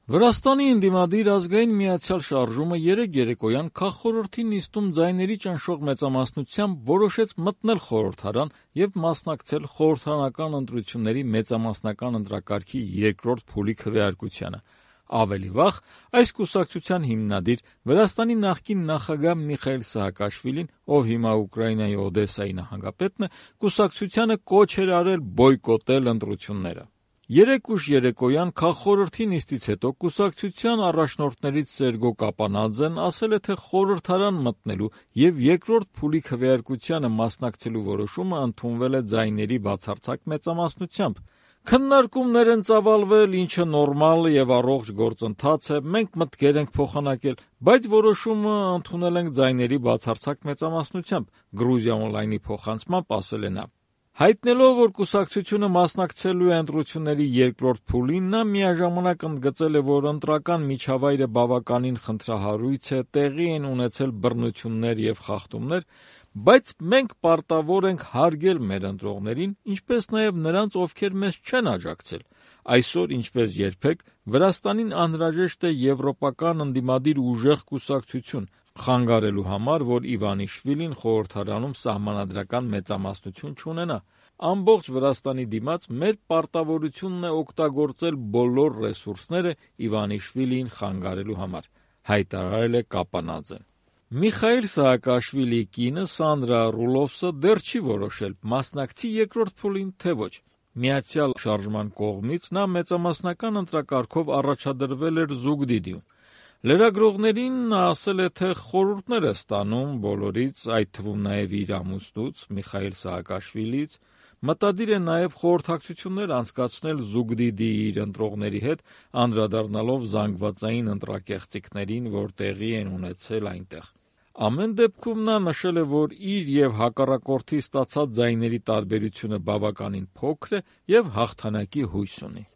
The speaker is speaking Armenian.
Վրաստանի ընդդիմադիր ազգային միացյալ շարժումը երեկ երեկոյան քաղխորհրդի նիստում ձայների ճնշող մեծամասնությամբ որոշեց մտնել խորհրդարան և մասնակցել խորհրդարանական ընտրությունների մեծամասնական ընտրակարգի երկրորդ փուլի քվեարկությանը։ Ավելի վաղ այս կուսակցության հիմնադիր Վրաստանի նախկին նախագահ Միխայիլ Սահակաշվիլին, ով հիմա Ուկրաինայի Օդեսայի նահանգապետն է, կուսակցությանը կոչ էր արել բոյկոտել ընտրությունները։ Երեկ ուշ երեկոյան քաղխորհրդի նիստից հետո կուսակցության առաջնորդներից Սերգո Կապանաձեն ասել է, թե խորհրդարան մտնելու և երկրորդ փուլի քվեարկությանը մասնակցելու որոշումը ընդունվել է ձայների բացարձակ մեծամասնությամբ։ Քննարկումներ են ծավալվել, ինչը նորմալ և առողջ գործընթաց է, մենք մտքեր ենք փոխանակել, բայց որոշումը ընդունել ենք ձայների բացարձակ մեծամասնությամբ, Գրուզիա Օնլայնի փոխանցմամբ ասել է նա։ Հայտնելով, որ կուսակցությունը մասնակցելու է ընտրությունների երկրորդ փուլին, նա միաժամանակ ընդգծել է, որ ընտրական միջավայրը բավականին խնդրահարույց է, տեղի են ունեցել բռնություններ և խախտումներ, բայց մենք պարտավոր ենք հարգել մեր ընտրողներին, ինչպես նաև նրանց, ովքեր մեզ չեն աջակցել։ Այսօր, ինչպես երբեք, Վրաստանին անհրաժեշտ է եվրոպական ընդդիմադիր ուժեղ կուսակցություն, խանգարելու համար, որ Իվանիշվիլին խորհրդարանում սահմանադրական մեծամասնություն չունենա։ Ամբողջ Վրաստանի դիմաց մեր պարտավորությունն է օգտագործել բոլոր ռեսուրսները Իվանիշվիլիին խանգարելու համար, հայտարարել է Կապանաձեն։ Միխայիլ Սահակաշվիլիի կինը Սանդրա Ռուլովսը դեռ չի որոշել մասնակցի երկրորդ փուլին, թե ոչ։ Միացյալ շարժման կողմից նա մեծամասնական ընտրակարգով առաջադրվել էր Զուգդիդիում։ Լրագրողներին նա ասել է, թե խորհուրդներ է ստանում բոլորից, այդ թվում նաև իր ամուսնուց Միխայիլ Սահակաշվիլիից, մտադիր է նաև խորհրդակցություններ անցկացնել Զուգդիդիի իր ընտրողների հետ, անդրադառնալով զանգվածային ընտրակեղծիքներին, որ տեղի են ունեցել այնտեղ։ Ամեն դեպքում նա նշել է, որ իր և հակառակորդի ստացած ձայների տարբերությունը բավականին փոքր է և հաղթանակի հույս ունի։